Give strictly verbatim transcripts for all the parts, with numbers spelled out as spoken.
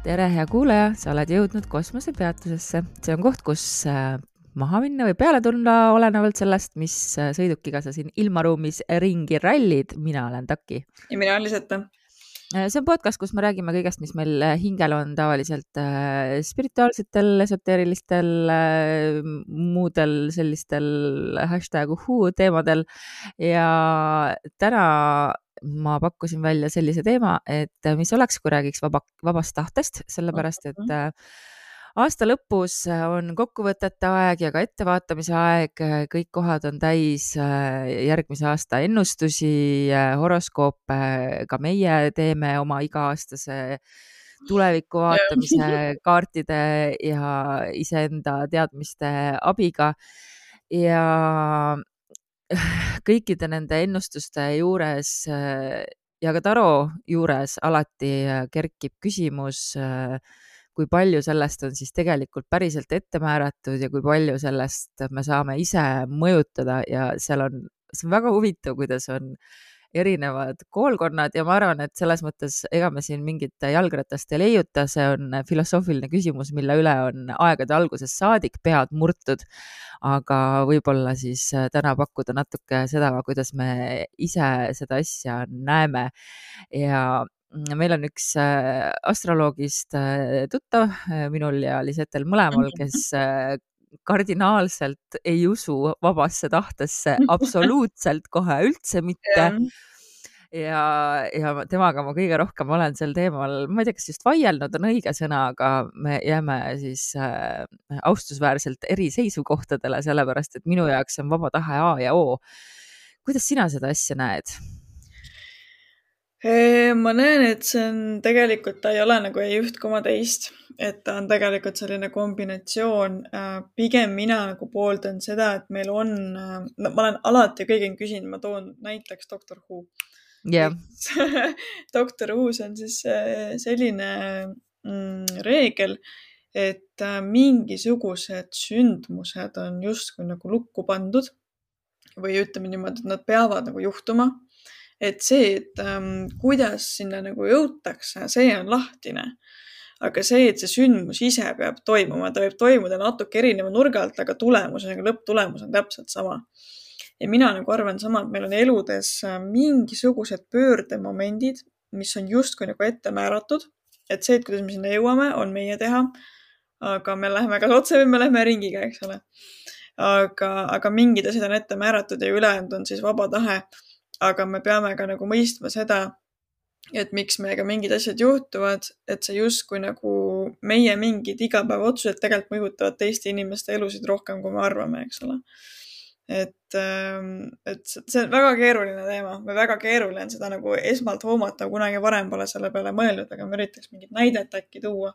Tere, hea kuulaja, sa oled jõudnud kosmosepeatusesse. See on koht, kus maha minna või peale tulla olenevalt sellest, mis sõidukiga sa siin ilmaruumis ringi rallid. Mina olen Taki. Ja mina olen Liseta. See on podcast, kus me räägime kõigest, mis meil hingel on tavaliselt spirituaalsetel, esoteerilistel, muudel sellistel hashtag uhuu teemadel. Ja täna ma pakkusin välja sellise teema, et mis oleks, kui räägiks vaba, vabast tahtest, sellepärast, et aasta lõpus on kokkuvõtete aeg ja ka ettevaatamise aeg. Kõik kohad on täis järgmise aasta ennustusi, horoskoope, ka meie teeme oma iga-aastase tuleviku vaatamise kaartide ja iseenda teadmiste abiga. Ja kõikide nende ennustuste juures ja ka taro juures alati kerkib küsimus, kui palju sellest on siis tegelikult päriselt ette määratud ja kui palju sellest me saame ise mõjutada. Ja seal on, see on väga huvitav, kuidas on erinevad koolkonnad ja ma arvan, et selles mõttes ega me siin mingit jalgratast ei leiuta. See on filosoofiline küsimus, mille üle on aegade alguses saadik pead murtud, aga võib-olla siis täna pakkuda natuke seda, kuidas me ise seda asja näeme. Ja meil on üks astroloogist tuttav, minul ja Lisetel mõlemal, kes kardinaalselt ei usu vabasse tahtesse absoluutselt kohe üldse mitte. Ja, ja temaga ma kõige rohkem olen sel teemal, ma ei tea, kas just vaielnud on õige sõna, aga me jääme siis äh, austusväärselt eri seisukohtadele, sellepärast, et minu jaoks on vaba tahe A ja O. Kuidas sina seda asja näed? Ma näen, et see on tegelikult, ta ei ole nagu ei üht koma teist, et ta on tegelikult selline kombinatsioon. Pigem mina nagu pooldan seda, et meil on, no, ma olen alati kõigil küsinud, ma toon näiteks doktor Who. Yeah. doktor Who's on siis selline mm, reegel, et mingisugused sündmused on justkui nagu lukku pandud või ütleme niimoodi, et nad peavad nagu juhtuma. Et see, et ähm, kuidas sinna nagu jõutakse, see on lahtine. Aga see, et see sündmus ise peab toimuma, ta võib toimuda natuke erineva nurga alt, aga tulemus, lõpptulemus on täpselt sama. Ja mina nagu arvan sama, et meil on eludes mingisugused pöördemomendid, mis on justkui nagu ette määratud. Et see, et kuidas me sinna jõuame, on meie teha. Aga me läheme kas otse või me läheme ringiga, eks ole. Aga, aga mingid asjad on ette määratud ja ülejäänud on siis vaba tahe. Aga me peame ka nagu mõistma seda, et miks meiega mingid asjad juhtuvad, et see justkui nagu meie mingid igapäeva otsused tegelikult mõjutavad teiste inimeste elusid rohkem, kui me arvame, eks ole. Et, et see on väga keeruline teema. Me väga keeruline on seda nagu esmalt hoomata, kunagi varem pole selle peale mõelnud, aga me üritaks mingit näidet äkki tuua.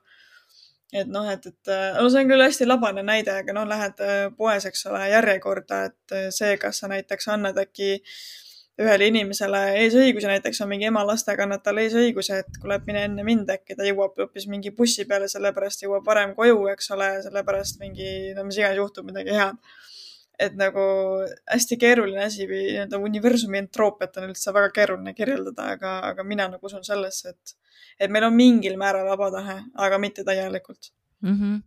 Et noh, et, et no see on küll hästi labane näide, aga noh, lähed poes, eks ole, järjekorda, et see, kas sa näiteks annad äkki ühele inimesele eesõiguse, näiteks on mingi ema lastega, annad talle eesõiguse, et kui läheb mine enne mind, äkki ta jõuab õppis mingi bussi peale, sellepärast jõuab varem koju, eks ole, sellepärast mingi, no mis iganes juhtub midagi head. Et nagu hästi keeruline asi või nii-öelda universumi entroopiat on üldse väga keeruline kirjeldada, aga, aga mina nagu usun sellesse, et, et meil on mingil määral vaba tahe, aga mitte täielikult. Mm-hmm.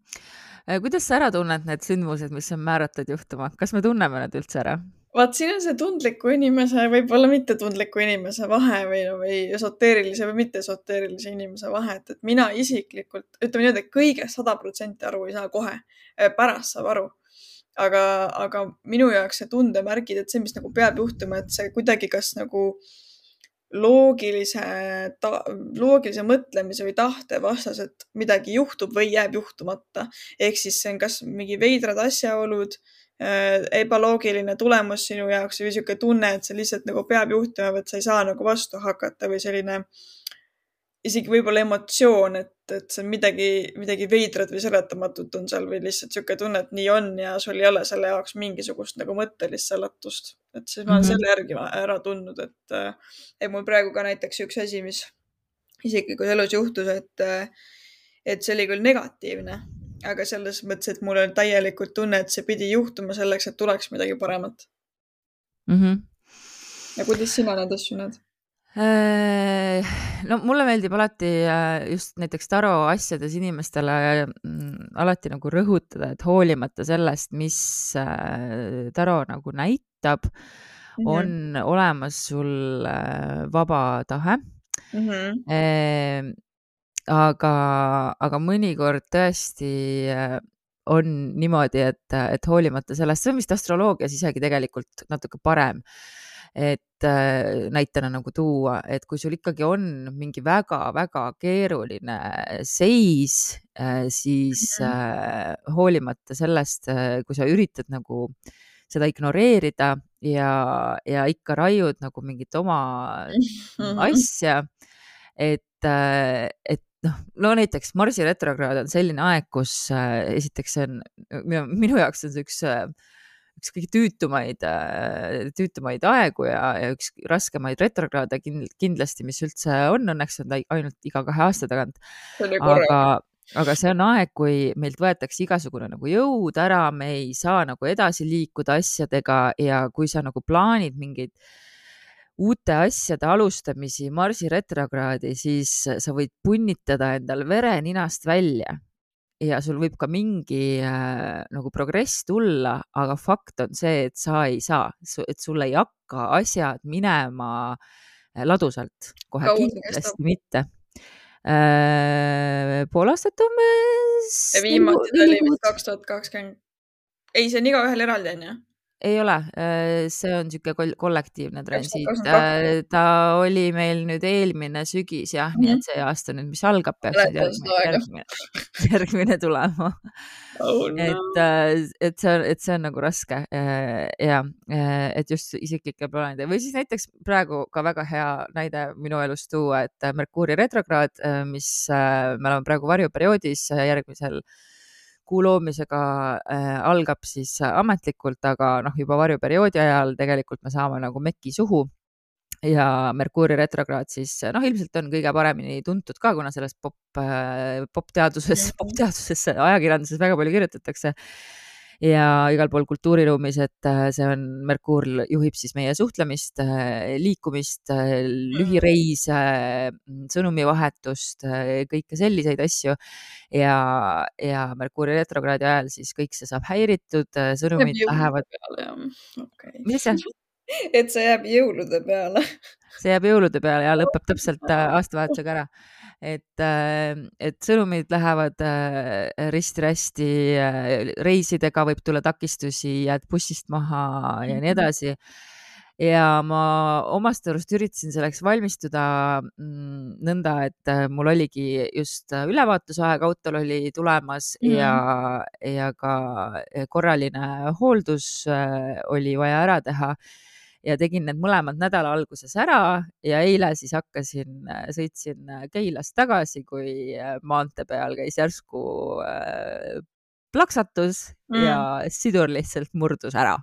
Kuidas sa ära tunned need sündmused, mis on määratud juhtuma? Kas me tunneme need üldse ära? Vaat siin on see tundliku inimese, võib-olla mitte tundliku inimese vahe või, või esoteerilise või mitte esoteerilise inimese vahe, et, et mina isiklikult, ütleme nii, et kõigest sada protsenti aru ei saa kohe, pärast saab aru. Aga, aga minu jaoks see tundemärgid, et see, mis nagu peab juhtuma, et see kuidagi kas nagu loogilise, ta, loogilise mõtlemise või tahte vastas, et midagi juhtub või jääb juhtumata. Ehk siis see on kas mingi veidrad asjaolud, ebaloogiline tulemus sinu jaoks või siuke tunne, et see lihtsalt nagu peab juhtuma, et sa ei saa nagu vastu hakata või selline isegi võib-olla emotsioon, et, et see on midagi, midagi veidrat või seletamatut on seal või lihtsalt siuke tunne, et nii on ja sul ei ole selle jaoks mingisugust nagu mõttelist seletust. Et siis ma olen mm -hmm. selle järgi ära tundnud, et, et mul praegu ka näiteks üks asi, mis isiklikus elus juhtus, et, et see oli küll negatiivne, aga selles mõttes, et mul oli täielikult tunne, et see pidi juhtuma selleks, et tuleks midagi paremat. Mm -hmm. Ja kuidas sina need asju näed? No mulle meeldib alati just näiteks taro asjades inimestele alati nagu rõhutada, et hoolimata sellest, mis taro nagu näitab, mm -hmm. on olemas sul vaba tahe. Mm -hmm. Aga, aga mõnikord tõesti on niimoodi, et, et hoolimata sellest, see on vist astroloogias isegi tegelikult natuke parem, et näitena nagu tuua, et kui sul ikkagi on mingi väga-väga keeruline seis, siis mm -hmm. hoolimata sellest, kui sa üritad nagu seda ignoreerida ja, ja ikka raiud nagu mingit oma mm -hmm. asja, et, et noh, no näiteks Marsi retrokraad on selline aeg, kus esiteks see on, minu, minu jaoks on see üks üks kõige tüütumaid, tüütumaid aegu ja, ja üks raskemaid retrokraade kindlasti, mis üldse on, õnneks on ta ainult iga kahe aasta tagant. Aga, aga see on aeg, kui meilt võetakse igasugune nagu jõud ära, me ei saa nagu edasi liikuda asjadega ja kui sa nagu plaanid mingeid uute asjade alustamisi Marsi retrokraadi, siis sa võid punnitada endal vere ninast välja. Ja sul võib ka mingi äh, nagu progress tulla, aga fakt on see, et sa ei saa, et sul ei hakka asjad minema ladusalt, kohe Kaua kindlasti mitte. Äh, pool aastat umbes. Ja viimati oli vist kaks tuhat kakskümmend. Ei, see on igaühel eraldi, on ju? Ei ole, see on niisugune kollektiivne transiit. Ta oli meil nüüd eelmine sügis, jah, mm -hmm. nii et see aasta nüüd, mis algab, peaks järgmine, järgmine, järgmine tulema. Oh, no. et, et, see on, et see on nagu raske ja et just isiklikke plaanide või siis näiteks praegu ka väga hea näide minu elust tuua, et Merkuuri retrokraad, mis me oleme praegu varjuperioodis järgmisel kuu loomisega äh, algab siis ametlikult, aga noh, juba varjuperioodi ajal tegelikult me saame nagu meki suhu ja Merkuuri retrokraad siis noh, ilmselt on kõige paremini tuntud ka, kuna sellest pop, äh, popteaduses, popteaduses ajakirjanduses väga palju kirjutatakse ja igal pool kultuuriruumis, et see on, Merkuur juhib siis meie suhtlemist, liikumist, lühireise, sõnumivahetust, kõike selliseid asju ja, ja Merkuuri retrokraadi ajal siis kõik see saab häiritud, sõnumid lähevad. Okay. Mis see? Et see jääb jõulude peale. See jääb jõulude peale ja lõpeb täpselt aastavahetusega ära. Et, et sõnumid lähevad risti-rästi, reisidega võib tulla takistusi, jääd bussist maha ja nii edasi. Ja ma omast arust üritasin selleks valmistuda nõnda, et mul oligi just ülevaatusaeg, autol oli tulemas mm. ja, ja ka korraline hooldus oli vaja ära teha. Ja tegin need mõlemad nädala alguses ära ja eile siis hakkasin, sõitsin Keilast tagasi, kui maantee peal käis järsku plaksatus mm. ja sidur lihtsalt murdus ära.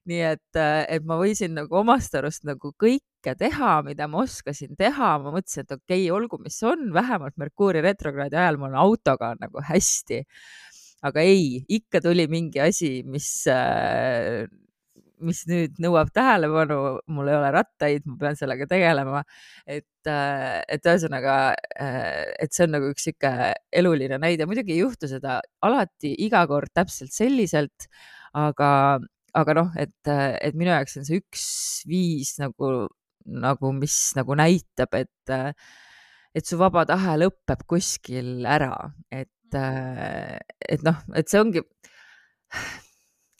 Nii et, et ma võisin nagu omast arust nagu kõike teha, mida ma oskasin teha. Ma mõtlesin, et okei, okay, olgu, mis on, vähemalt Merkuuri retrokraadi ajal mul autoga nagu hästi. Aga ei, ikka tuli mingi asi, mis... mis nüüd nõuab tähelepanu, mul ei ole rattaid, ma pean sellega tegelema, et, et ühesõnaga, et see on nagu üks siuke eluline näide. Muidugi ei juhtu seda alati iga kord täpselt selliselt, aga, aga noh, et, et minu jaoks on see üks viis nagu, nagu mis nagu näitab, et, et su vaba tahe lõpeb kuskil ära, et, et noh, et see ongi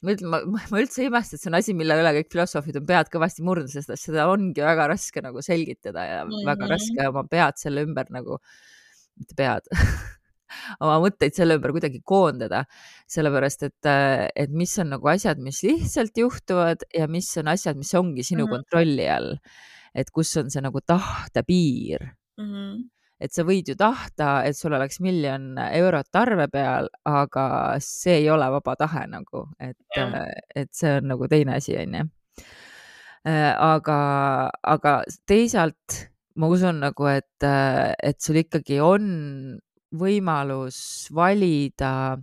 Ma, ütlen, ma, ma üldse ei imesta, et see on asi, mille üle kõik filosoofid on pead kõvasti murnud, sest seda ongi väga raske nagu selgitada ja mm -hmm. väga raske oma pead selle ümber nagu, mitte pead, oma mõtteid selle ümber kuidagi koondada, sellepärast et, et mis on nagu asjad, mis lihtsalt juhtuvad ja mis on asjad, mis ongi sinu Mhm. kontrolli all. Et kus on see nagu tahte piir. Mhm. Et sa võid ju tahta, et sul oleks miljon eurot arve peal, aga see ei ole vaba tahe nagu, et, Jah. et see on nagu teine asi, on ju. Aga, aga teisalt ma usun nagu, et, et sul ikkagi on võimalus valida,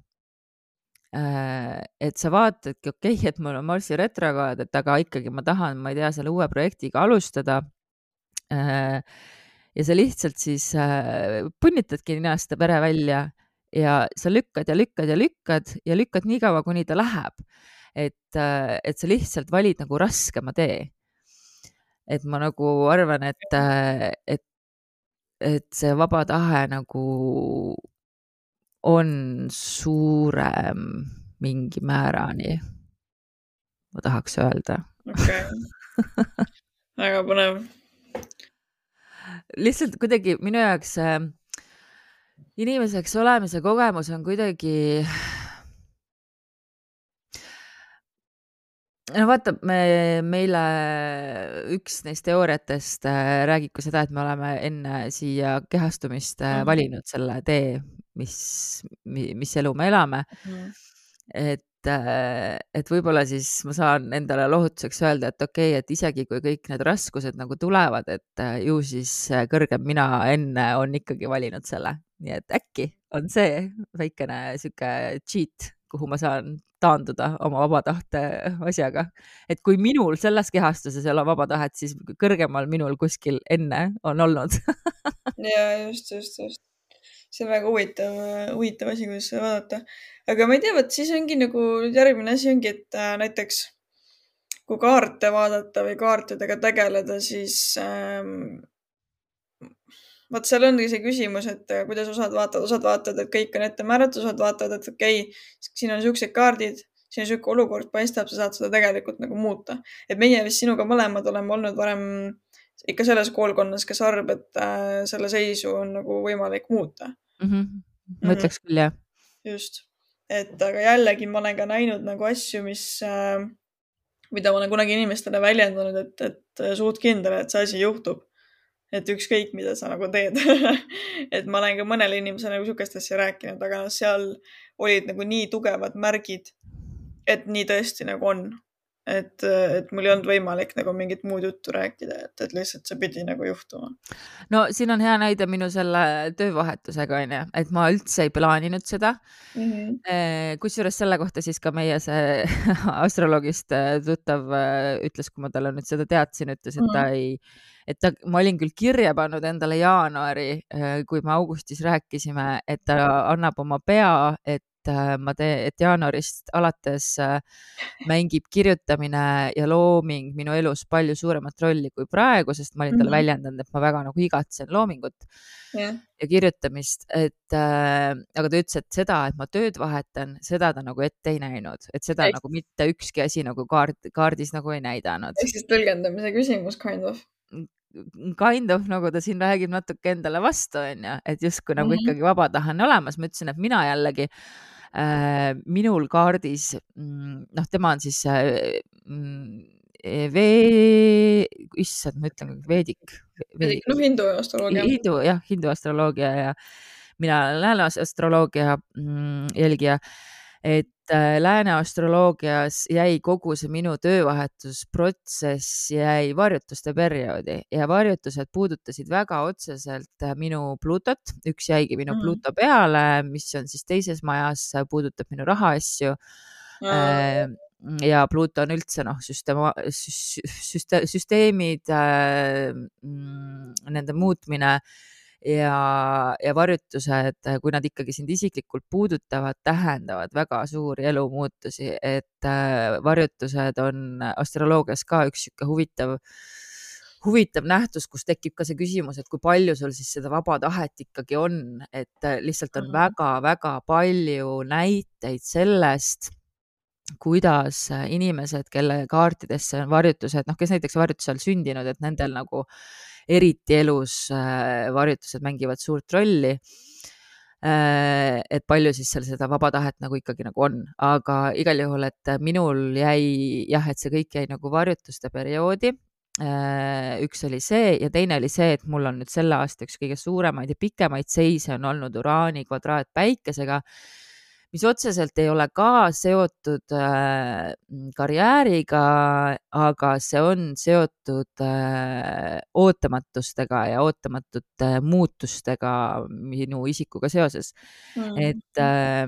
et sa vaatadki, okei, okay, et mul on Marsi retrograad, et aga ikkagi ma tahan, ma ei tea, selle uue projektiga alustada. Ja sa lihtsalt siis punnitadki ninast pere välja ja sa lükkad ja lükkad ja lükkad ja lükkad nii kaua, kuni ta läheb. Et, et sa lihtsalt valid nagu raskema tee. Et ma nagu arvan, et, et, et see vaba tahe nagu on suurem mingi määrani, ma tahaks öelda. Okei. Väga põnev. Lihtsalt kuidagi minu jaoks inimeseks olemise kogemus on kuidagi, no vaata, me, meile üks neist teooriatest räägib ka seda, et me oleme enne siia kehastumist mm. valinud selle tee, mis, mis elu me elame. Mm. Et, et võib-olla siis ma saan endale lohutuseks öelda, et okei, okay, et isegi kui kõik need raskused nagu tulevad, et ju siis kõrgem mina enne on ikkagi valinud selle. Nii et äkki on see väikene siuke cheat, kuhu ma saan taanduda oma vaba tahte asjaga. Et kui minul selles kehastuses ei ole vaba tahet, siis kõrgemal minul kuskil enne on olnud. ja just, just, just. See on väga huvitav, huvitav asi, kuidas seda vaadata. Aga ma ei tea, võt siis ongi nagu järgmine asi ongi, et äh, näiteks kui kaarte vaadata või kaartidega tegeleda, siis ähm, vaat seal ongi see küsimus, et kuidas osad vaatavad, osad vaatavad, et kõik on ette määratud, osad vaatavad, et okei, okay, siin on siuksed kaardid, siin on siuke olukord paistab, sa saad seda tegelikult nagu muuta. Et meie vist sinuga mõlemad oleme olnud varem ikka selles koolkonnas, kes arvab, et äh, selle seisu on nagu võimalik muuta. Mm-hmm. Ma ütleks küll, jah. Just. Et aga jällegi ma olen ka näinud nagu asju, mis, äh, mida ma olen kunagi inimestele väljendanud, et, et suht kindel, et see asi juhtub. Et ükskõik, mida sa nagu teed. et ma olen ka mõnele inimesele nagu sukest asja rääkinud, aga seal olid nagu nii tugevad märgid, et nii tõesti nagu on. Et, et mul ei olnud võimalik nagu mingit muud juttu rääkida, et, et lihtsalt see pidi nagu juhtuma. No siin on hea näide minu selle töövahetusega, on ju, et ma üldse ei plaaninud seda. Mm-hmm. Kusjuures selle kohta siis ka meie see astroloogist tuttav ütles, kui ma talle nüüd seda teadsin, ütles, et ta ei, et ta, ma olin küll kirja pannud endale jaanuari, kui me augustis rääkisime, et ta annab oma pea, et ma teen, et jaanuarist alates mängib kirjutamine ja looming minu elus palju suuremat rolli kui praegu, sest ma olin talle mm-hmm. väljendanud, et ma väga nagu igatsen loomingut yeah. ja kirjutamist, et äh, aga ta ütles, et seda, et ma tööd vahetan, seda ta nagu ette ei näinud, et seda Eks. Nagu mitte ükski asi nagu kaart, kaardis nagu ei näidanud. Ehk siis tõlgendamise küsimus kind of. Kind of, nagu ta siin räägib natuke endale vastu, on ju, et justkui nagu mm-hmm. ikkagi vaba tahe on olemas. Ma ütlesin, et mina jällegi äh, minul kaardis, noh, tema on siis äh, vee, issand, ma ütlen veedik. veedik. No hindu astroloogia. Hindu, jah, hindu astroloogia ja mina olen lääne astroloogia mm, jälgija, et lääne astroloogias jäi kogu see minu töövahetusprotsess jäi varjutuste perioodi ja varjutused puudutasid väga otseselt minu Pluutot. Üks jäigi minu mm. Pluuto peale, mis on siis teises majas, puudutab minu rahaasju. Mm. Ja Pluuto on üldse noh, süsteema, süste, süsteemid, nende muutmine ja, ja varjutused, kui nad ikkagi sind isiklikult puudutavad, tähendavad väga suuri elumuutusi, et varjutused on astroloogias ka üks siuke huvitav, huvitav nähtus, kus tekib ka see küsimus, et kui palju sul siis seda vaba tahet ikkagi on, et lihtsalt on väga-väga palju näiteid sellest, kuidas inimesed, kelle kaartidesse on varjutused, noh, kes näiteks varjutusel sündinud, et nendel nagu eriti elus varjutused mängivad suurt rolli. et palju siis seal seda vaba tahet nagu ikkagi nagu on, aga igal juhul, et minul jäi jah, et see kõik jäi nagu varjutuste perioodi. Üks oli see ja teine oli see, et mul on nüüd selle aasta üks kõige suuremaid ja pikemaid seise on olnud Uraani kvadraat Päikesega, mis otseselt ei ole ka seotud äh, karjääriga, aga see on seotud äh, ootamatustega ja ootamatute muutustega minu isikuga seoses. Mm. Et, äh,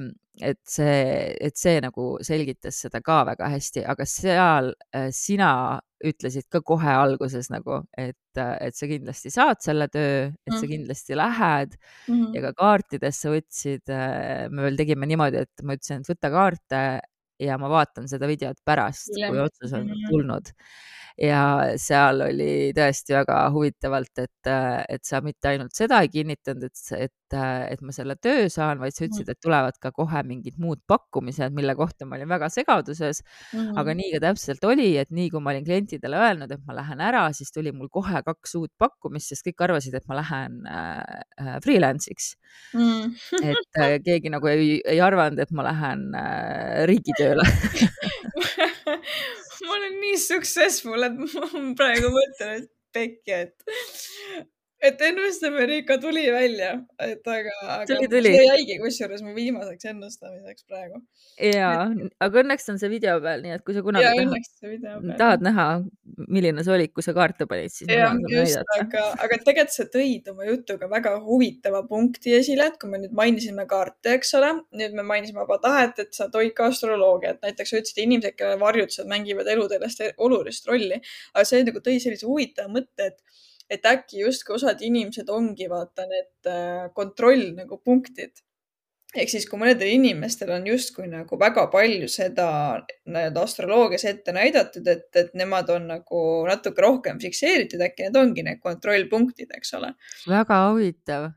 et see, et see nagu selgitas seda ka väga hästi, aga seal äh, sina ütlesid ka kohe alguses nagu, et, et sa kindlasti saad selle töö, et sa kindlasti lähed mm -hmm. ja ka kaartidesse võtsid, me veel tegime niimoodi, et ma ütlesin, et võta kaarte ja ma vaatan seda videot pärast, kui otsus on tulnud. Ja seal oli tõesti väga huvitavalt, et, et sa mitte ainult seda ei kinnitanud, et, et, et ma selle töö saan, vaid sa ütlesid, et tulevad ka kohe mingid muud pakkumised, mille kohta ma olin väga segaduses. Mm -hmm. Aga nii ka täpselt oli, et nii kui ma olin klientidele öelnud, et ma lähen ära, siis tuli mul kohe kaks uut pakkumist, sest kõik arvasid, et ma lähen äh, freelance'iks. Mm -hmm. et äh, keegi nagu ei, ei arvanud, et ma lähen äh, riigitööle. ma olen nii successful, et ma praegu mõtlen, et pekki, et, et ennustamine ikka tuli välja, et aga, aga tuli, tuli. see jäigi kusjuures mu viimaseks ennustamiseks praegu. Ja, et... aga õnneks on see video peal, nii et kui sa kunagi ja, tahad, tahad näha, milline see oli, kui sa kaarte panid, siis ja, just, aga, aga tegelikult sa tõid oma jutuga väga huvitava punkti esile, et kui me nüüd mainisime kaarte, eks ole, nüüd me mainisime vaba tahet, et sa toid ka astroloogiat, näiteks sa ütlesid inimesed, kellele varjutused mängivad eludelest olulist rolli, aga see nagu tõi sellise huvitava mõtte, et, et äkki justkui osad inimesed ongi vaata need kontroll nagu punktid. Ehk siis, kui mõnedel inimestel on justkui nagu väga palju seda astroloogias ette näidatud, et, et nemad on nagu natuke rohkem fikseeritud, äkki need ongi need kontrollpunktid, eks ole. Väga huvitav.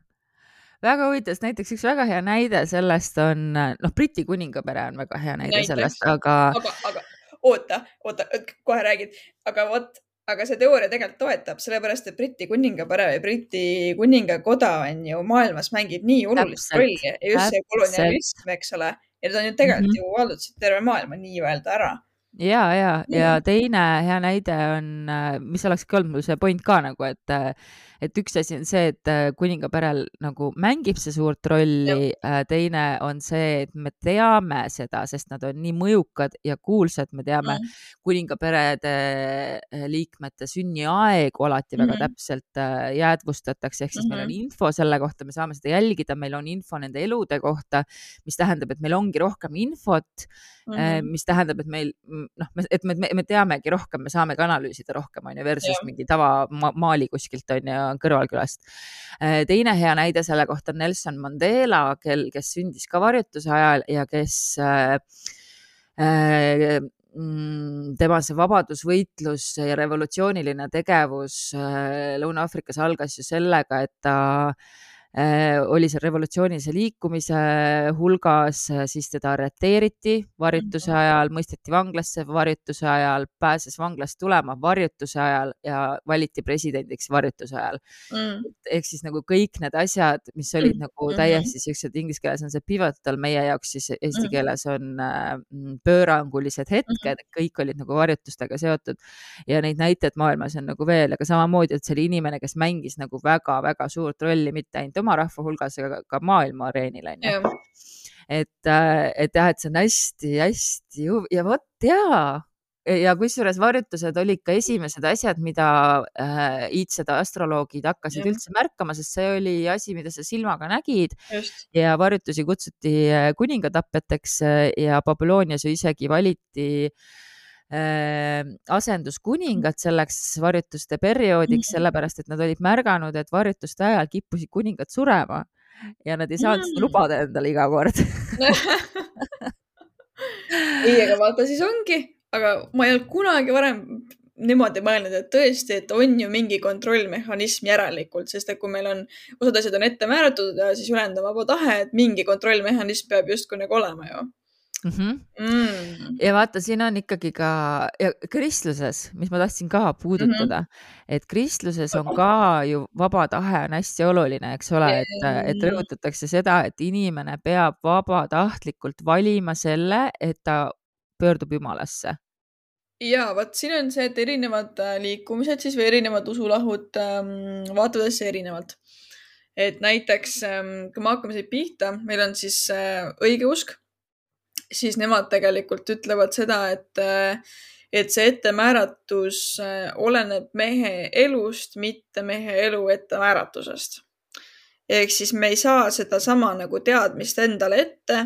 Väga huvitav, näiteks üks väga hea näide sellest on, noh, Briti kuningapere on väga hea näide näiteks. Sellest, aga... aga... aga oota, oota, kohe räägid, aga vot, aga see teooria tegelikult toetab, sellepärast, et Briti kuningapere või Briti kuningakoda on ju maailmas mängib nii olulist rolli ja just see kolonialism, eks ole, ja need on ju tegelikult mm -hmm. ju vallutasid terve maailma nii-öelda ära. Ja, ja, ja teine hea näide on, mis oleks ka olnud mul see point ka nagu, et, et üks asi on see, et kuningaperel nagu mängib see suurt rolli, teine on see, et me teame seda, sest nad on nii mõjukad ja kuulsad, me teame mm. kuningaperede liikmete sünniaegu alati väga mm -hmm. täpselt jäädvustatakse, ehk siis mm -hmm. meil on info selle kohta, me saame seda jälgida, meil on info nende elude kohta, mis tähendab, et meil ongi rohkem infot, mm -hmm. mis tähendab, et meil noh, et me, me, me teamegi rohkem, me saamegi analüüsida rohkem, on ju, versus ja. mingi tava ma maali kuskilt, on ju, kõrvalkülast. Teine hea näide selle kohta on Nelson Mandela, kel, kes sündis ka varjutuse ajal ja kes äh, äh, tema see vabadusvõitlus ja revolutsiooniline tegevus äh, Lõuna-Aafrikas algas ju sellega, et ta oli seal revolutsioonilise liikumise hulgas, siis teda arreteeriti varjutuse ajal, mõisteti vanglasse varjutuse ajal, pääses vanglast tulema varjutuse ajal ja valiti presidendiks varjutuse ajal. Mm. Ehk siis nagu kõik need asjad, mis olid mm. nagu täiesti sellised, inglise keeles on see pivotal, meie jaoks siis eesti keeles on pöörangulised hetked, kõik olid nagu varjutustega seotud ja neid näiteid maailmas on nagu veel, aga samamoodi, et see oli inimene, kes mängis nagu väga-väga suurt rolli, mitte ainult oma rahva hulgas, aga ka maailma areenil, on ju. Et, et jah, et see on hästi-hästi ja vot jaa. Ja kusjuures varjutused olid ka esimesed asjad, mida äh, iidsed astroloogid hakkasid ja. üldse märkama, sest see oli asi, mida sa silmaga nägid. Just. Ja varjutusi kutsuti kuningatapeteks ja Babylonias ju isegi valiti Äh, asenduskuningad selleks varjutuste perioodiks, sellepärast et nad olid märganud, et varjutuste ajal kippusid kuningad surema ja nad ei saanud mm. seda lubada endale iga kord. ei, aga vaata siis ongi, aga ma ei olnud kunagi varem niimoodi mõelnud, et tõesti, et on ju mingi kontrollmehhanism järelikult, sest et kui meil on, osad asjad on ette määratud ja siis ülejäänud on vaba tahe, et mingi kontrollmehhanism peab justkui nagu olema ju. Mhm. Mm. ja vaata, siin on ikkagi ka ja kristluses, mis ma tahtsin ka puudutada, et kristluses on ka ju vaba tahe on hästi oluline, eks ole, et, et rõhutatakse seda, et inimene peab vabatahtlikult valima selle, et ta pöördub Jumalasse. ja vot siin on see, et erinevad äh, liikumised siis või erinevad usulahud ähm, vaatavad asja erinevalt. Et näiteks ähm, kui me hakkame siit pihta, meil on siis äh, õigeusk, siis nemad tegelikult ütlevad seda, et äh, et see ettemääratus äh, oleneb mehe elust, mitte mehe elu ettemääratusest. Ehk siis me ei saa sedasama nagu teadmist endale ette,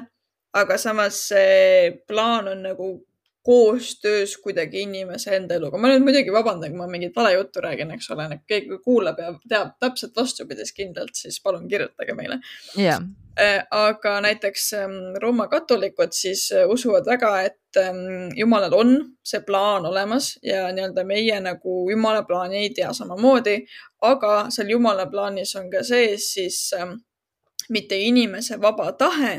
aga samas see plaan on nagu koostöös kuidagi inimese enda eluga. Ma nüüd muidugi vabandan, kui ma mingit vale juttu räägin, eks ole, keegi kuulab ja teab täpselt vastupidist kindlalt, siis palun kirjutage meile. jah, Aga näiteks ähm, Rooma katolikud siis äh, usuvad väga, et ähm, Jumalal on see plaan olemas ja nii-öelda meie nagu Jumala plaani ei tea samamoodi, aga seal Jumala plaanis on ka sees siis ähm, mitte inimese vaba tahe,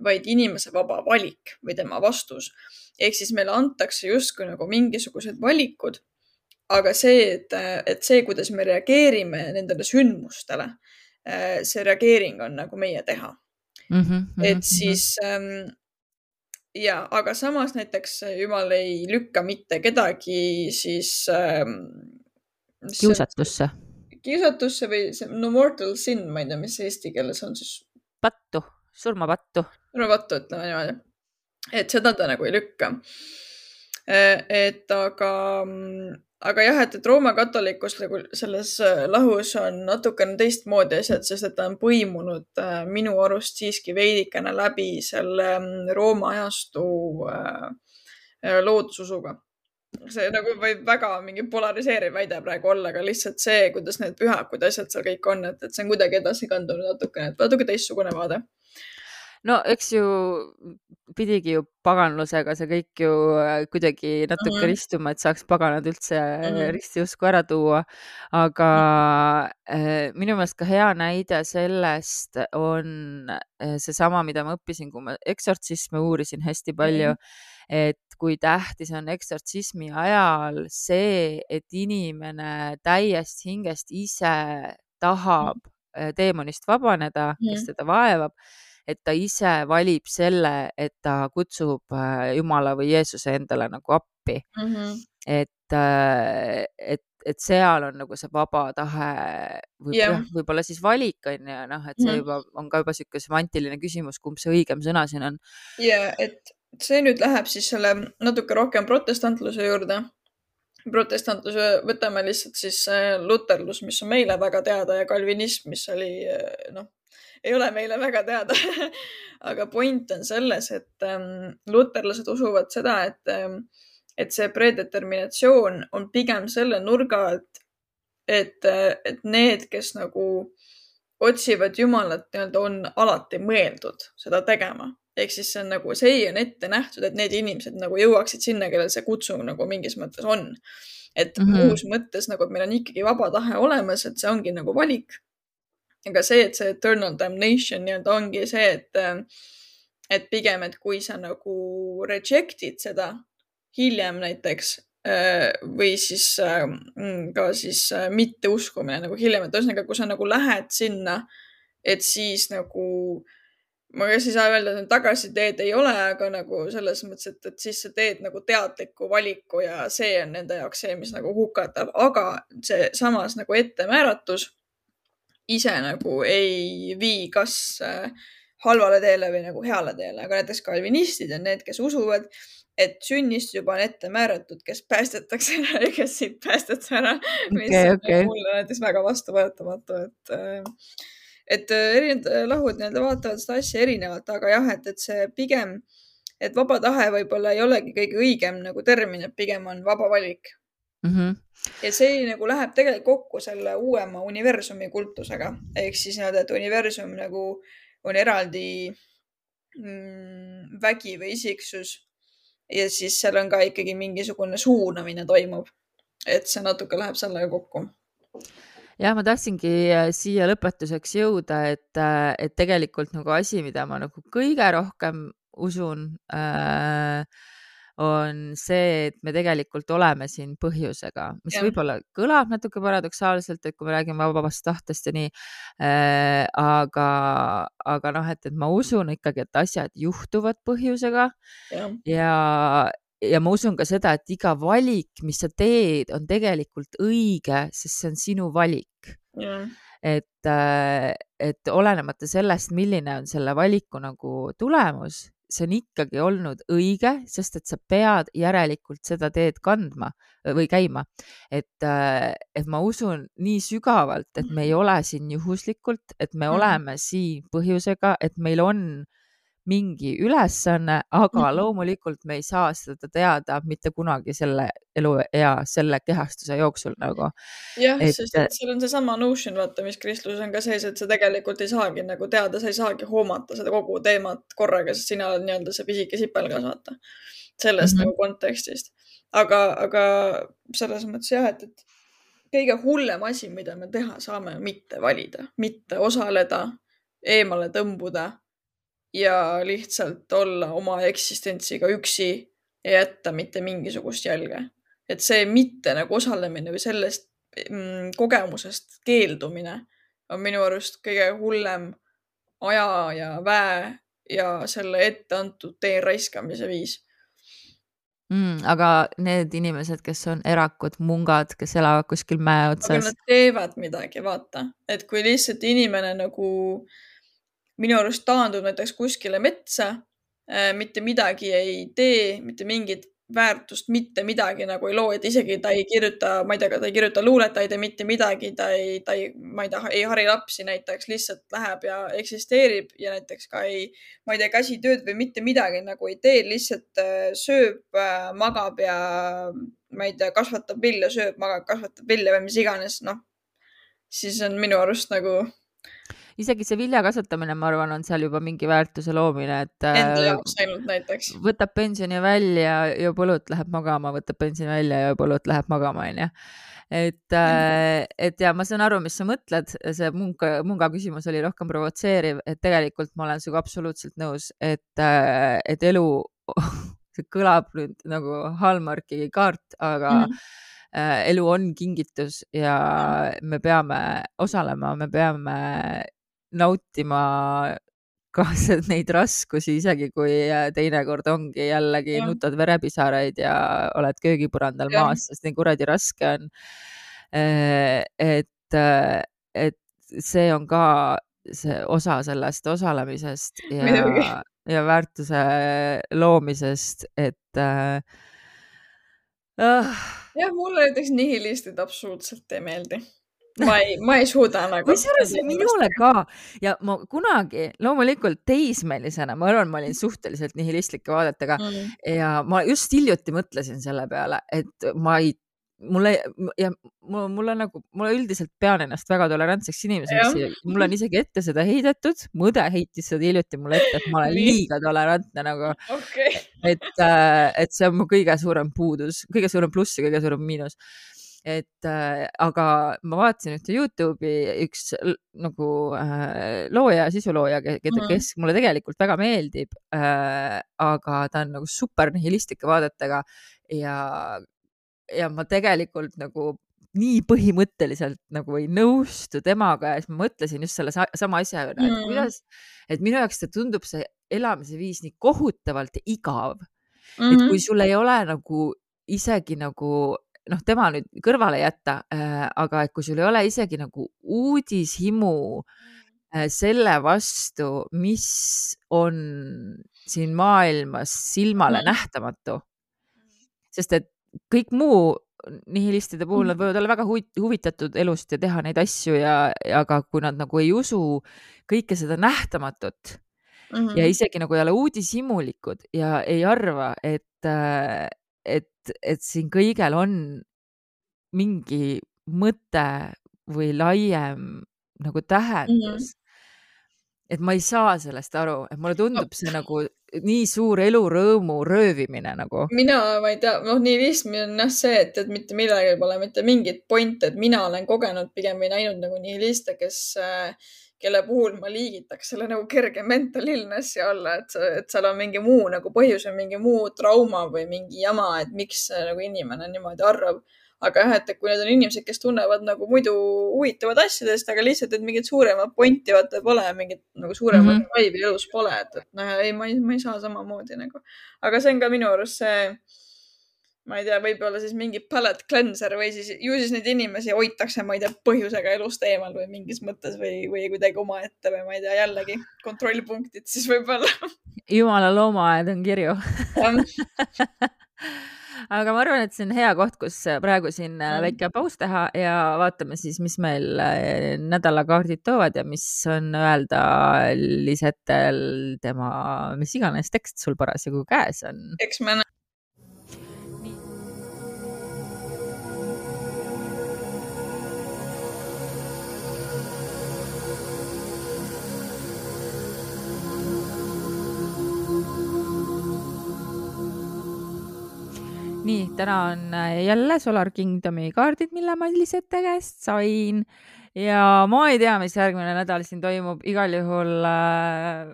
vaid inimese vaba valik või tema vastus. Ehk siis meile antakse justkui nagu mingisugused valikud, aga see, et, et see, kuidas me reageerime nendele sündmustele, see reageering on nagu meie teha. mm. -hmm, et siis ähm, ja, aga samas näiteks Jumal ei lükka mitte kedagi siis ähm, kiusatusse. kiusatusse või see no mortal sin, ma ei tea, mis eesti keeles on siis. pattu, surmapattu. surmapattu, ütleme niimoodi. Et seda ta nagu ei lükka. Et aga aga jah, et, et Rooma katolikus selles lahus on natukene teistmoodi asjad, sest et ta on põimunud minu arust siiski veidikene läbi selle Rooma ajastu loodususuga. See nagu võib väga mingi polariseeriv väide praegu olla, aga lihtsalt see, kuidas need pühakud asjad seal kõik on, et, et see on kuidagi edasi kandunud natukene, et natuke teistsugune vaade. no eks ju pidigi ju paganlusega see kõik ju kuidagi natuke mm -hmm. ristuma, et saaks paganad üldse mm -hmm. ristiusku ära tuua. aga mm -hmm. minu meelest ka hea näide sellest on seesama, mida ma õppisin, kui ma eksortsisme uurisin hästi palju mm, -hmm. et kui tähtis on eksortsismi ajal see, et inimene täiest hingest ise tahab mm -hmm. teemonist vabaneda mm, -hmm. kes teda vaevab, et ta ise valib selle, et ta kutsub Jumala või Jeesuse endale nagu appi mm. -hmm. et, et, et seal on nagu see vaba tahe või yeah. võib-olla siis valik on ju, noh, et see mm -hmm. juba on ka juba siuke semantiline küsimus, kumb see õigem sõna siin on. ja, et see nüüd läheb siis selle natuke rohkem protestantluse juurde. protestantluse võtame lihtsalt siis luterlus, mis on meile väga teada, ja kalvinism, mis oli noh, ei ole meile väga teada aga point on selles, et ähm, luterlased usuvad seda, et, ähm, et see predeterminatsioon on pigem selle nurga, et, et, et need, kes nagu otsivad Jumalat, nii-öelda on alati mõeldud seda tegema. Ehk siis see on nagu, see on ette nähtud, et need inimesed nagu jõuaksid sinna, kellel see kutsung nagu mingis mõttes on. Et mm -hmm. muus mõttes nagu, et meil on ikkagi vaba tahe olemas, et see ongi nagu valik. aga see, et see eternal damnation nii-öelda ongi see, et, et pigem, et kui sa nagu reject'id seda hiljem näiteks või siis ka siis mitte uskumine nagu hiljem, et ühesõnaga, kui sa nagu lähed sinna, et siis nagu ma kas ei saa öelda, et tagasiteed ei ole, aga nagu selles mõttes, et, et siis sa teed nagu teadliku valiku ja see on nende jaoks see, mis nagu hukatab, aga see samas nagu ettemääratus ise nagu ei vii kas halvale teele või nagu heale teele, aga näiteks kalvinistid on need, kes usuvad, et sünnist juba on ette määratud, kes päästetakse ära ja kes siit päästetakse ära, mis okay, okay. on mulle näiteks väga vastuvõetamatu, et et erinevad lahud nii-öelda vaatavad seda asja erinevalt, aga jah, et, et see pigem, et vaba tahe võib-olla ei olegi kõige õigem nagu termin, et pigem on vaba valik. Mm -hmm. ja see nagu läheb tegelikult kokku selle uuema universumi kultusega, ehk siis nii-öelda, et universum nagu on eraldi mm, vägi või isiksus ja siis seal on ka ikkagi mingisugune suunamine toimub, et see natuke läheb sellega kokku. jah, ma tahtsingi siia lõpetuseks jõuda, et, et tegelikult nagu asi, mida ma nagu kõige rohkem usun äh, on see, et me tegelikult oleme siin põhjusega, mis jah, võib-olla kõlab natuke paradoksaalselt, et kui me räägime vabast tahtest ja nii äh,, aga, aga noh, et, et ma usun ikkagi, et asjad juhtuvad põhjusega jah, ja, ja ma usun ka seda, et iga valik, mis sa teed, on tegelikult õige, sest see on sinu valik. jah, et, äh, et olenemata sellest, milline on selle valiku nagu tulemus, see on ikkagi olnud õige, sest et sa pead järelikult seda teed kandma või käima. Et, äh, et ma usun nii sügavalt, et me ei ole siin juhuslikult, et me Mhm. oleme siin põhjusega, et meil on mingi ülesanne, aga Mhm. loomulikult me ei saa seda teada mitte kunagi selle eluea, selle kehastuse jooksul nagu. jah, Et sest et seal on seesama notion, vaata, mis kristluses on ka sees, et sa tegelikult ei saagi nagu teada, sa ei saagi hoomata seda kogu teemat korraga, sest sina oled nii-öelda see pisike sipelgas, vaata, sellest Mhm. nagu kontekstist. Aga, aga selles mõttes jah, et, et kõige hullem asi, mida me teha saame, on mitte valida, mitte osaleda, eemale tõmbuda ja lihtsalt olla oma eksistentsiga üksi ja jätta mitte mingisugust jälge. Et see mitte nagu osalemine või sellest mm, kogemusest keeldumine on minu arust kõige hullem aja ja väe ja selle ette antud tee raiskamise viis. Mm, aga need inimesed, kes on erakud, mungad, kes elavad kuskil mäe aga otsas. nad teevad midagi, vaata, et kui lihtsalt inimene nagu minu arust taandub näiteks kuskile metsa, mitte midagi ei tee, mitte mingit väärtust, mitte midagi nagu ei loo, et isegi ta ei kirjuta, ma ei tea, ta ei kirjuta luulet, ta ei tee mitte midagi, ta ei, ta ei, ma ei tea, ei hari lapsi näiteks, lihtsalt läheb ja eksisteerib ja näiteks ka ei, ma ei tea, käsitööd või mitte midagi nagu ei tee, lihtsalt sööb, magab ja ma ei tea, kasvatab vilja, sööb, magab, kasvatab vilja või mis iganes, noh, siis on minu arust nagu isegi see vilja kasvatamine, ma arvan, on seal juba mingi väärtuse loomine, et enda jaoks ainult näiteks. võtab pensioni välja, joob õlut, läheb magama, võtab pensioni välja, joob õlut, läheb magama, onju. et, et ja ma saan aru, mis sa mõtled, see munga, munga küsimus oli rohkem provotseeriv, et tegelikult ma olen sinuga absoluutselt nõus, et, et elu, see kõlab nüüd nagu Hallmarki kaart, aga mm. -hmm. elu on kingitus ja me peame osalema, me peame nautima ka neid raskusi, isegi kui teinekord ongi jällegi ja. nutad verepisaraid ja oled köögipõrandal ja. maas, sest nii kuradi raske on. et, et see on ka see osa sellest osalemisest ja, ja väärtuse loomisest, et äh, jah, mulle näiteks nihilistid absoluutselt ei meeldi. ma ei, ma ei suuda nagu. kusjuures minule ka ja ma kunagi loomulikult teismelisena, ma arvan, ma olin suhteliselt nihilistlike vaadetega mm. ja ma just hiljuti mõtlesin selle peale, et ma ei, mulle ja mul, mulle nagu, mulle üldiselt pean ennast väga tolerantseks inimeseks. Mulle on isegi ette seda heidetud, mu õde heitis seda hiljuti mulle ette, et ma olen liiga tolerantne nagu okay. et, et see on mu kõige suurem puudus, kõige suurem pluss ja kõige suurem miinus. et äh, aga ma vaatasin ühte Youtube'i üks nagu äh, looja, sisulooja, keda, mm. kes mulle tegelikult väga meeldib äh,, aga ta on nagu super nihilistlike vaadetega ja, ja ma tegelikult nagu nii põhimõtteliselt nagu ei nõustu temaga ja siis ma mõtlesin just selle sama asja üle, et kuidas, et minu jaoks see tundub see elamise viis nii kohutavalt igav mm, -hmm. et kui sul ei ole nagu isegi nagu noh, tema nüüd kõrvale jätta äh,, aga et kui sul ei ole isegi nagu uudishimu äh, selle vastu, mis on siin maailmas silmale mm. nähtamatu. Sest et kõik muu nihilistide puhul, nad võivad olla väga huvitatud elust ja teha neid asju ja, aga kui nad nagu ei usu kõike seda nähtamatut mm -hmm. ja isegi nagu ei ole uudishimulikud ja ei arva, et äh, et, et siin kõigel on mingi mõte või laiem nagu tähendus. Mm -hmm. et ma ei saa sellest aru, et mulle tundub see nagu nii suur elurõõmu röövimine nagu. mina, ma ei tea, noh, nihilism on jah see, et, et mitte millelgi pole mitte mingit pointi, et mina olen kogenud pigem või näinud nagu nihiliste, kes, kelle puhul ma liigitaks selle nagu kerge mental illnessi alla, et, et seal on mingi muu nagu põhjus või mingi muu trauma või mingi jama, et miks nagu inimene niimoodi arvab. Aga jah, et kui need on inimesed, kes tunnevad nagu muidu huvitavad asjadest, aga lihtsalt, et mingit suuremat pointi vaata pole, mingit nagu suuremat mm -hmm. vaibi elus pole, et, et noh, ei, ma ei, ma ei saa samamoodi nagu. Aga see on ka minu arust see, ma ei tea, võib-olla siis mingi palette cleanser või siis ju siis neid inimesi hoitakse, ma ei tea, põhjusega elust eemal või mingis mõttes või, või kuidagi omaette või ma ei tea, jällegi kontrollpunktid siis võib-olla. Jumala loomaaed on kirju. Aga ma arvan, et see on hea koht, kus praegu siin väike paus teha ja vaatame siis, mis meil nädalakaardid toovad ja mis on öelda Lisetel tema, mis iganes tekst sul parasjagu käes on. Eks me näe. Nii, täna on jälle Solar Kingdomi kaardid, mille ma Lisette käest sain ja ma ei tea, mis järgmine nädal siin toimub. Igal juhul äh,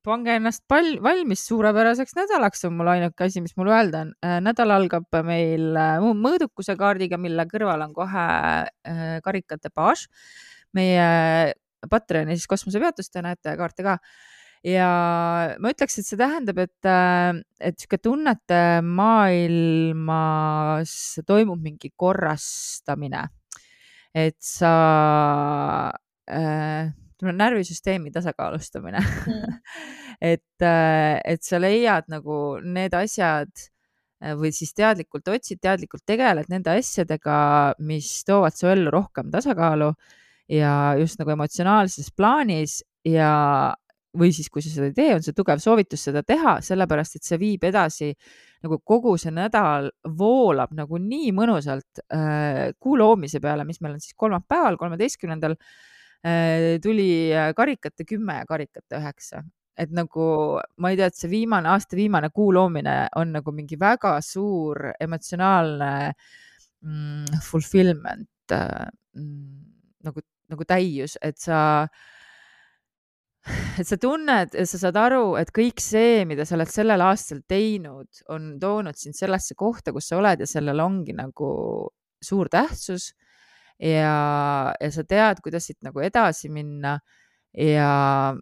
pange ennast pal valmis suurepäraseks nädalaks, on mul ainuke asi, mis mul öelda on. Äh, nädal algab meil äh, mõõdukuse kaardiga, mille kõrval on kohe äh, karikate baas. Meie Patreoni siis kosmosepeatust te näete kaarte ka. Ja ma ütleks, et see tähendab, et, et siuke tunnete maailmas toimub mingi korrastamine, et sa äh, närvisüsteemi tasakaalustamine mm. et, et sa leiad nagu need asjad või siis teadlikult otsid, teadlikult tegeled nende asjadega, mis toovad su ellu rohkem tasakaalu ja just nagu emotsionaalses plaanis ja või siis, kui sa seda ei tee, on see tugev soovitus seda teha, sellepärast, et see viib edasi nagu kogu see nädal voolab nagu nii mõnusalt äh, kuu loomise peale, mis meil on siis kolmapäeval, kolmeteistkümnendal äh, tuli karikate kümme ja karikate üheksa. Et nagu, ma ei tea, et see viimane, aasta viimane kuu loomine on nagu mingi väga suur emotsionaalne mm, fulfillment äh, mm, nagu, nagu täius, et sa et sa tunned, sa saad aru, et kõik see, mida sa oled sellel aastal teinud, on toonud sind sellesse kohta, kus sa oled ja sellel ongi nagu suur tähtsus ja, ja sa tead, kuidas siit nagu edasi minna ja,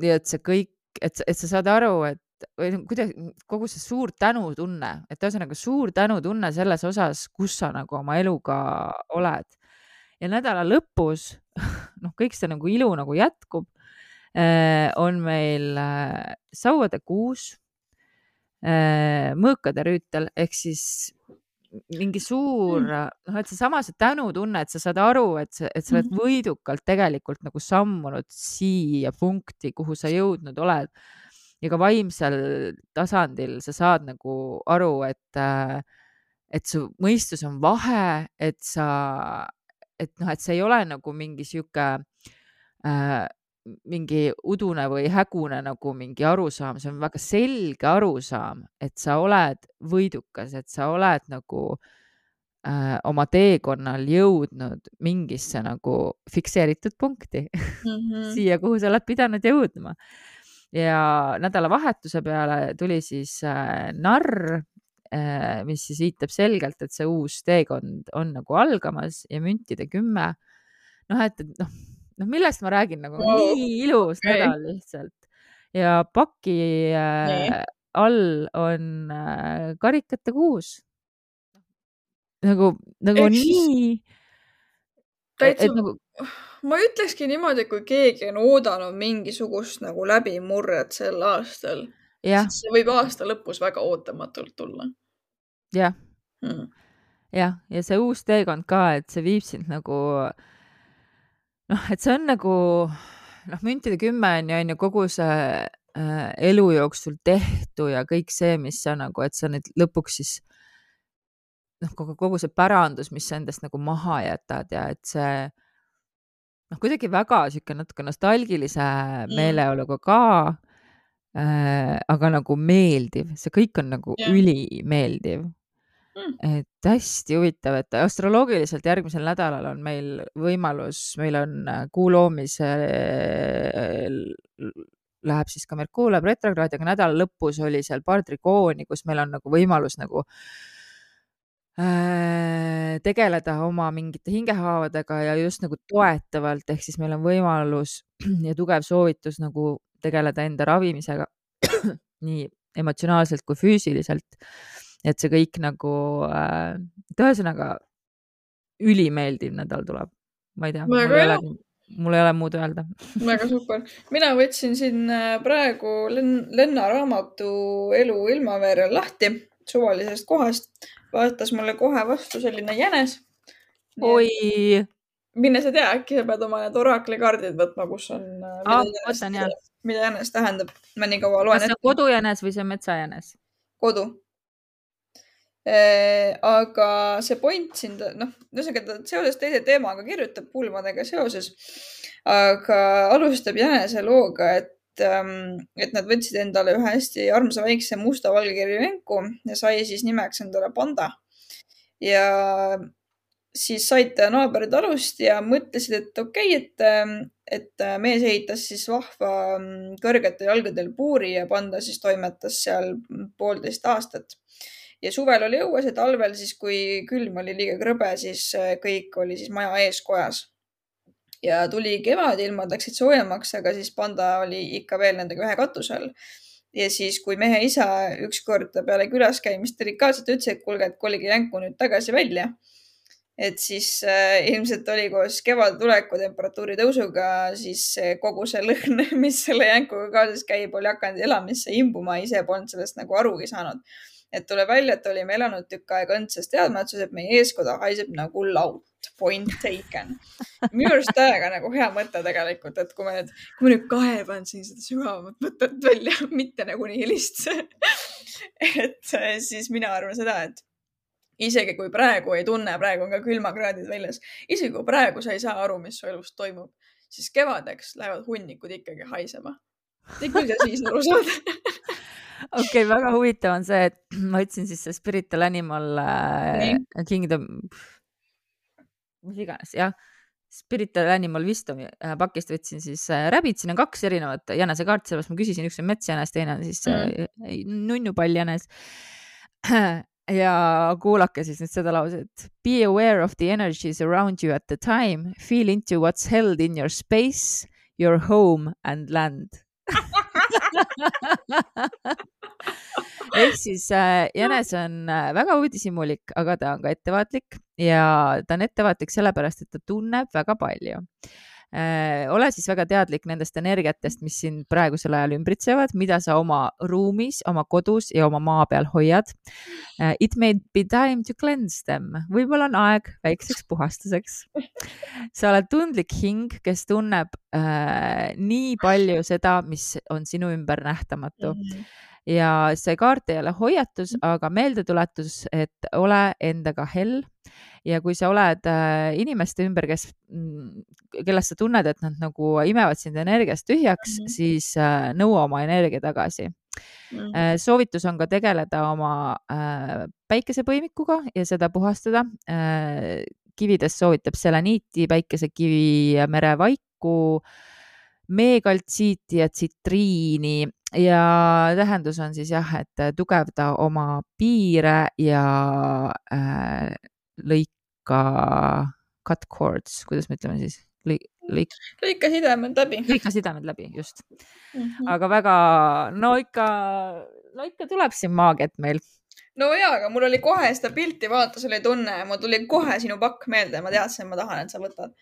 ja et see kõik, et, et sa saad aru, et või kuidas kogu see suur tänutunne, et ühesõnaga suur tänutunne selles osas, kus sa nagu oma eluga oled. Ja nädala lõpus, noh, kõik see nagu ilu nagu jätkub. On meil sauade kuus, mõõkade rüütel, ehk siis mingi suur, noh, et see sama see tänutunne, et sa saad aru, et sa, et sa oled võidukalt tegelikult nagu sammunud siia punkti, kuhu sa jõudnud oled. Ja ka vaimsel tasandil sa saad nagu aru, et, et su mõistus on vahe, et sa, et noh, et see ei ole nagu mingi sihuke äh, mingi udune või hägune nagu mingi arusaam, see on väga selge arusaam, et sa oled võidukas, et sa oled nagu äh, oma teekonnal jõudnud mingisse nagu fikseeritud punkti mm -hmm. siia, kuhu sa oled pidanud jõudma. Ja nädalavahetuse peale tuli siis äh, narr, äh, mis siis viitab selgelt, et see uus teekond on nagu algamas ja müntide kümme. Noh, et, et noh, noh, millest ma räägin, nagu oh, nii ilus okay. nädal lihtsalt. Ja paki äh, all on äh, karikate kuus. Nagu, nagu Eks nii. Täitsa, et, nagu... ma ütlekski niimoodi, kui keegi on oodanud mingisugust nagu läbimurret sel aastal, siis see võib aasta lõpus väga ootamatult tulla. Jah. Hmm. Jah, ja see uus teekond ka, et see viib sind nagu noh, et see on nagu, noh, müntide kümme on ju, on ju kogu see äh, elu jooksul tehtu ja kõik see, mis sa nagu, et sa nüüd lõpuks siis, noh, kogu, kogu see pärandus, mis sa endast nagu maha jätad ja et see, noh, kuidagi väga siuke natuke nostalgilise Mm. meeleoluga ka äh,, aga nagu meeldiv, see kõik on nagu Jah. ülimeeldiv. Mm. et hästi huvitav, et astroloogiliselt järgmisel nädalal on meil võimalus, meil on kuu loomise läheb siis ka Merkuur läheb retrokraadi, aga nädala lõpus oli seal paar trikooni, kus meil on nagu võimalus nagu äh, tegeleda oma mingite hingehaavadega ja just nagu toetavalt, ehk siis meil on võimalus ja tugev soovitus nagu tegeleda enda ravimisega nii emotsionaalselt kui füüsiliselt. et see kõik nagu äh, ühesõnaga ülimeeldiv nädal tuleb. Ma ei tea, mul ei, ole, mul ei ole muud öelda. Väga super. Mina võtsin siin praegu Lenna raamatu Elu ilmaveerel lahti suvalisest kohast. Vaatas mulle kohe vastu selline jänes. Oi! Mine sa tea, äkki sa pead oma need oraklikaardid võtma, kus on, mida, ah, jänes, võtan, mida jänes tähendab. Ma nii kaua loen. Kas see on kodujänes või see metsajänes? Kodu. Äh, aga see point siin, noh, ühesõnaga seoses teise teemaga kirjutab pulmadega seoses, aga alustab jänese looga, et, et nad võtsid endale ühe hästi armsa väikse musta valgekirju jenku ja sai siis nimeks endale Panda. Ja siis said naabrid alust ja mõtlesid, et okei, okay, et, et mees ehitas siis vahva kõrgetel jalgadel puuri ja Panda siis toimetas seal poolteist aastat. Ja suvel oli õues ja talvel siis, kui külm oli liiga krõbe, siis kõik oli siis maja ees kojas. Ja tuli kevad, ilmad läksid soojemaks, aga siis Panda oli ikka veel nendega ühe katusel. Ja siis, kui mehe isa ükskord peale külas käimist delikaatselt ütles, et kuulge, et kolige jänku nüüd tagasi välja. Et siis äh, ilmselt oli koos kevad tuleku temperatuuri tõusuga, siis kogu see lõhn, mis selle jänkuga kaasas käib, oli hakanud elamisse imbuma, ise polnud sellest nagu arugi saanud. Et tuleb välja, et olime elanud tükk aega õndses teadmatsus, et meie eeskoda haiseb nagu laut. Point taken. Minu arust täiega nagu hea mõte tegelikult, et kui me nüüd, kui me nüüd kaevan siin seda sügavamat mõtet välja, mitte nagu nii helist. et siis mina arvan seda, et isegi kui praegu ei tunne, praegu on ka külmakraadid väljas, isegi kui praegu sa ei saa aru, mis su elus toimub, siis kevadeks lähevad hunnikud ikkagi haisema. Ei küll ja siis aru saada. okei, okay, väga huvitav on see, et ma võtsin siis see Spiritual Animal äh, Kingdom, mis iganes, jah, Spiritual Animal Wisdom äh, pakist võtsin siis äh, räbid, siin on kaks erinevat jänese-kaart, sellepärast ma küsisin, üks on metsjänes, teine on siis äh, mm. nunnupalljänes. ja kuulake siis nüüd seda lauset. Be aware of the energies around you at the time. Feel into what's held in your space, your home and land. ehk siis äh, jänes on väga uudishimulik, aga ta on ka ettevaatlik ja ta on ettevaatlik sellepärast, et ta tunneb väga palju. Äh, ole siis väga teadlik nendest energiatest, mis sind praegusel ajal ümbritsevad, mida sa oma ruumis, oma kodus ja oma maa peal hoiad. Uh, it may be time to cleanse them. Võib-olla on aeg väikseks puhastuseks. Sa oled tundlik hing, kes tunneb uh, nii palju seda, mis on sinu ümber nähtamatu. Mm-hmm. Ja see kaart ei ole hoiatus, aga meeldetuletus, et ole endaga hell. Ja kui sa oled äh, inimeste ümber, kes, kellest sa tunned, et nad nagu imevad sind energiast tühjaks, mm-hmm. siis äh, nõua oma energia tagasi. Mm-hmm. Äh, soovitus on ka tegeleda oma äh, päikesepõimikuga ja seda puhastada. Äh, kivides soovitab seleniiti, päikesekivi, merevaiku, meekaltsiiti ja tsitriini. Ja tähendus on siis jah, et tugevda oma piire ja äh, lõika cut cords, kuidas me ütleme siis? Lõik, lõik... lõika sidemed läbi. Lõika sidemed läbi, just. Mm-hmm. Aga väga, no ikka, no ikka tuleb siin maagiat meil. No jaa, aga mul oli kohe seda pilti vaatas, oli tunne ja mul tuli kohe sinu pakk meelde ja ma teadsin, ma tahan, et sa võtad.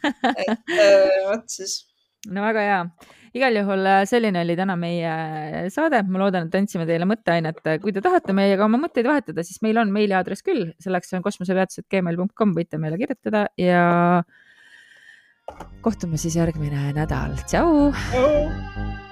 Et äh, võt siis. No väga hea. Igal juhul selline oli täna meie saade. Ma loodan, et andsime teile mõtteainet. Kui te tahate meiega oma mõtteid vahetada, siis meil on meiliaadress küll. Selleks on kosmosepeatused gmail punkt com. Võite meile kirjutada ja kohtume siis järgmine nädal. Tšau! Tšau!